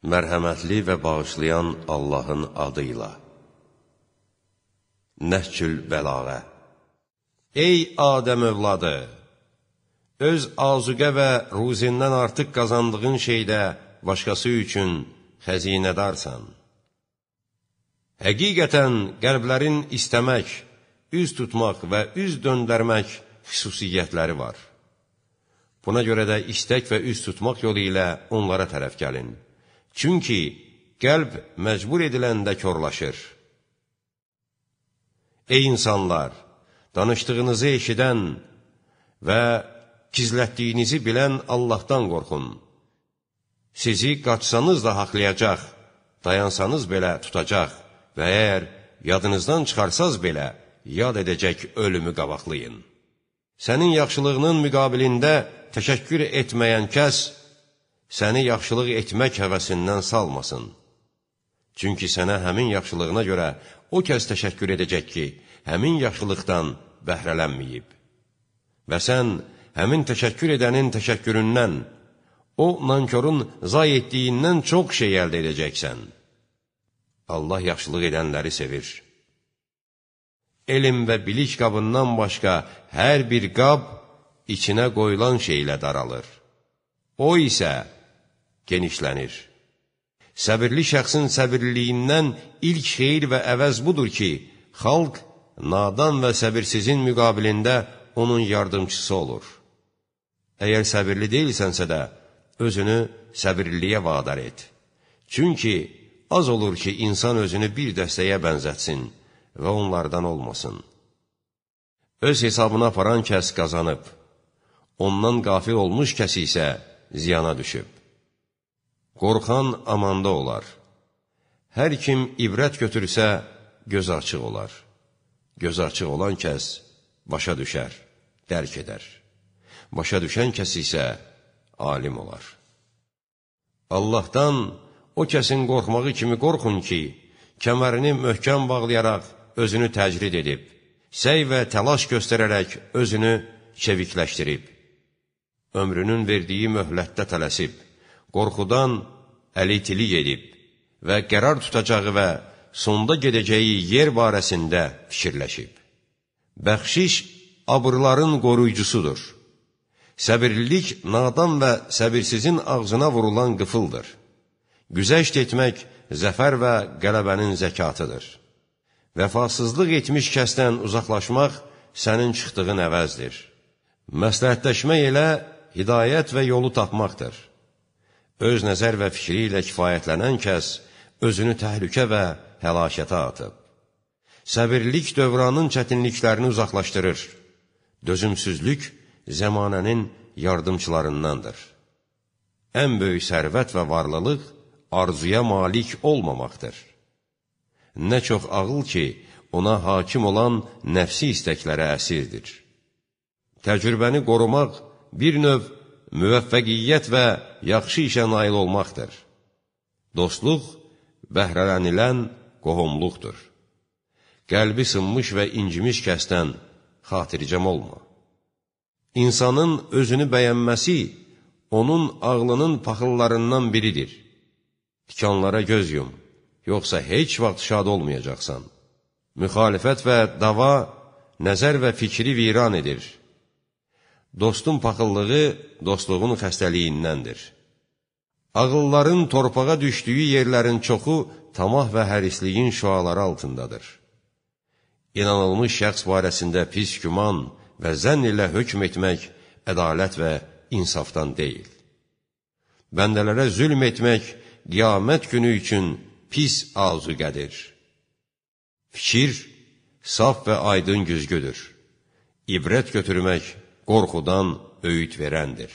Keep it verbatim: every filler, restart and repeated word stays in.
Mərhəmətli və bağışlayan Allahın adıyla. Nəhcül Bəlağə. Ey Adəm övladı! Öz azuqə və ruzindən artıq qazandığın şeydə başqası üçün xəzinədarsan. Həqiqətən qəlblərin istəmək, üz tutmaq və üz döndərmək xüsusiyyətləri var. Buna görə də istək və üz tutmaq yolu ilə onlara tərəf gəlin. Çünki qəlb məcbur ediləndə körlaşır. Ey insanlar! Danışdığınızı eşidən və gizlətdiyinizi bilən Allahdan qorxun. Sizi qaçsanız da haqlayacaq, dayansanız belə tutacaq və əgər yadınızdan çıxarsaz belə yad edəcək ölümü qabaqlayın. Sənin yaxşılığının müqabilində təşəkkür etməyən kəs, səni yaxşılıq etmək həvəsindən salmasın. Çünki sənə həmin yaxşılığına görə o kəs təşəkkür edəcək ki, həmin yaxşılıqdan bəhrələnməyib. Və sən həmin təşəkkür edənin təşəkküründən, o nankörün zay etdiyindən çox şey əldə edəcəksən. Allah yaxşılıq edənləri sevir. Elm və bilik qabından başqa hər bir qab içinə qoyulan şeylə daralır. O isə genişlənir. Səbirli şəxsin səbirliliyindən ilk xeyir və əvəz budur ki, xalq nadan və səbirsizin müqabilində onun yardımçısı olur. Əgər səbirli deyilsənsə də, özünü səbirliliyə vadar et. Çünki az olur ki, insan özünü bir dəstəyə bənzətsin və onlardan olmasın. Öz hesabına aparan kəs qazanıb, ondan qafil olmuş kəs isə ziyana düşüb. Qorxan amanda olar. Hər kim ibrət götürsə, göz açıq olar. Göz açıq olan kəs başa düşər, dərk edər. Başa düşən kəs isə alim olar. Allahdan o kəsin qorxmağı kimi qorxun ki, kəmərini möhkəm bağlayaraq özünü təcrid edib, səy və təlaş göstərərək özünü çevikləşdirib, ömrünün verdiyi möhlətdə tələsib, qorxudan əlitilik edib və qərar tutacağı və sonda gedəcəyi yer barəsində fikirləşib. Bəxşiş abırların qoruyucusudur. Səbirlilik nadan və səbirsizin ağzına vurulan qıfıldır. Güzəşt etmək zəfər və qələbənin zəkatıdır. Vəfasızlıq etmiş kəsdən uzaqlaşmaq sənin çıxdığın əvəzdir. Məsləhətləşmək elə hidayət və yolu tapmaqdır. Öz nəzər və fikri ilə kifayətlənən kəs özünü təhlükə və həlakətə atıb. Səbirlik dövranın çətinliklərini uzaqlaşdırır. Dözümsüzlük zəmanənin yardımçılarındandır. Ən böyük sərvət və varlılıq arzuya malik olmamaqdır. Nə çox ağıl ki, ona hakim olan nəfsi istəklərə əsirdir. Təcrübəni qorumaq bir növ müvəffəqiyyət və yaxşı işə nail olmaqdır. Dostluq bəhrələnilən qohumluqdur. Qəlbi sınmış və incimiş kəsdən xatircəm olma. İnsanın özünü bəyənməsi onun ağlının paxıllarından biridir. Tikanlara göz yum, yoxsa heç vaxt şad olmayacaqsan. Müxalifət və dava nəzər və fikri viran edir. Dostun paxıllığı dostluğun xəstəliyindəndir. Ağılların torpağa düşdüyü yerlərin çoxu tamah və hərisliyin şüaları altındadır. İnanılmış şəxs barəsində pis güman və zənn ilə hökm etmək ədalət və insafdan deyil. Bəndələrə zülm etmək qiyamət günü üçün pis azuqədir. Fikir saf və aydın güzgüdür. İbrət götürmək qorxudan öyüd verəndir.